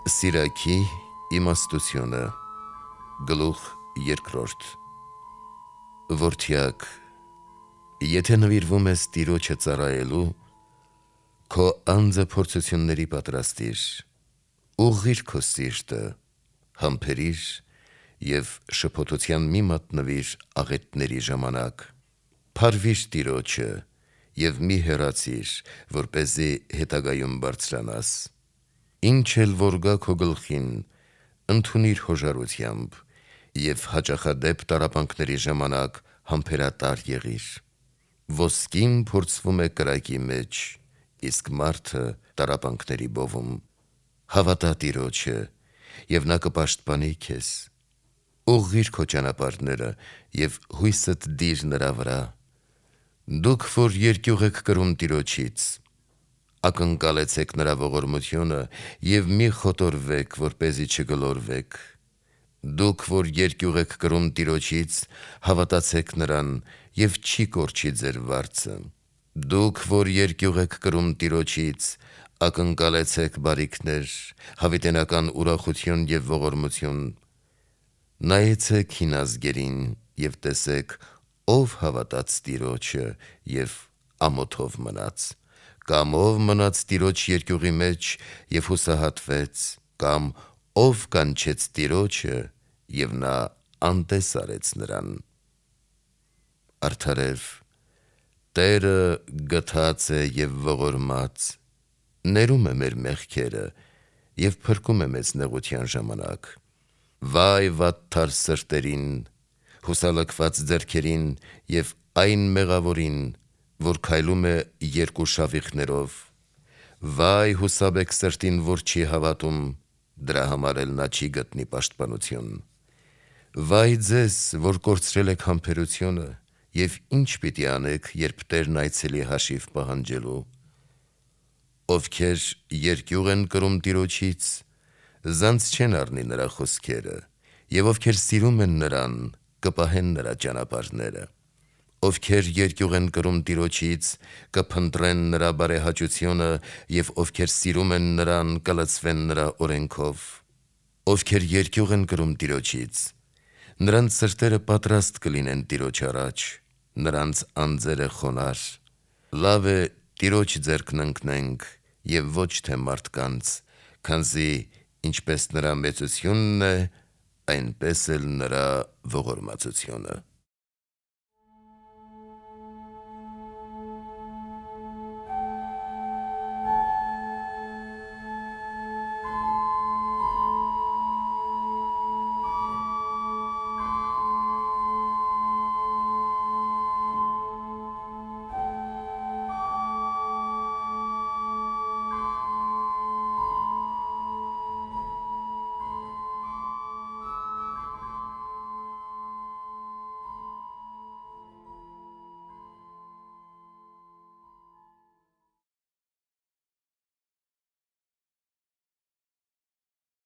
Սիրակի իմաստությունը գլուխ երկրորդ Որդյակ, եթե նվիրվում ես Տիրոջը ծառայելու, քո անձը փորձությունների պատրաստիր, ուղղիր քո սիրտը, համբերիր և շփոթության մի մատնվիր աղետների ժամանակ, փարվիր Տիրոջը և մի հեռացիր, որպեսզի հետագայում բարձրանաս: Ինչ էլ որ գա քո գլխին, ընդունիր հոժարությամբ և հաճախադեպ տառապանքների ժամանակ համբերատար եղիր: Ոսկին փորձվում է կրակի մեջ, իսկ մարդը տառապանքների բովում: Հավատա Տիրոջը, և նա կպաշտպանի քեզ: Ուղղիր քո ճանապարհները և հույսդ դիր նրա վրա: Դուք որ երկյուղ եք կրում Տիրոջից, ակնկալեցեք նրա ողորմությունը և մի խոտորվեք, որպեսզի չգլորվեք: Դուք որ երկյուղ եք կրում Տիրոջից, հավատացեք նրան և չի կորչի ձեր վարձը: Դուք որ երկյուղ եք կրում Տիրոջից, ակնկալեցեք բարիքներ, հավիտենական ուրախություն և ողորմություն: Նայեցեք հին ազգերին և տեսեք, ով հավատաց Տիրոջը և ամոթով մնաց: Կամ ով մնաց Տիրոջ երկյուղի մեջ և հուսահատվեց: Կամ ով կանչեց Տիրոջը և նա անտես արեց նրան: Արդարև, Տերը գթած է և ողորմած, ներում է մեր մեղքերը և փրկում է մեզ նեղության ժամանակ: Վայ վատթար սրտերին, հուսալքված ձեռքերին և այն մեղավորին, որ քայլում է երկու շավիղներով: Վայ հուսաբեկ սրտին, որ չի հավատում, դրա համար էլ նա չի գտնի պաշտպանություն: Վայ ձեզ, որ կորցրել եք համբերությունը, և ինչ պիտի անեք, երբ Տերն այցելի հաշիվ պահանջելու: Ովքեր երկյուղ են կրում Տիրոջից, զանց չեն առնի նրա խոսքերը, և ովքեր սիրում են նրան, կպահեն նրա ճանապարհները: Ովքեր երկյուղ են կրում Տիրոջից, կփնտրեն նրա բարեհաճությունը և ովքեր սիրում են նրան, կլցվեն նրա օրենքով: Ովքեր երկյուղ են կրում Տիրոջից, նրանց սրտերը պատրաստ կլինեն Տիրոջ առաջ, նրանց անձերը խոնարհ: Լավ է Տիրոջ ձեռքն ընկնենք և ոչ թե մարդկանց, քանզի ինչպես նրա մեծությունն է, այնպես էլ նրա ողորմածությունը: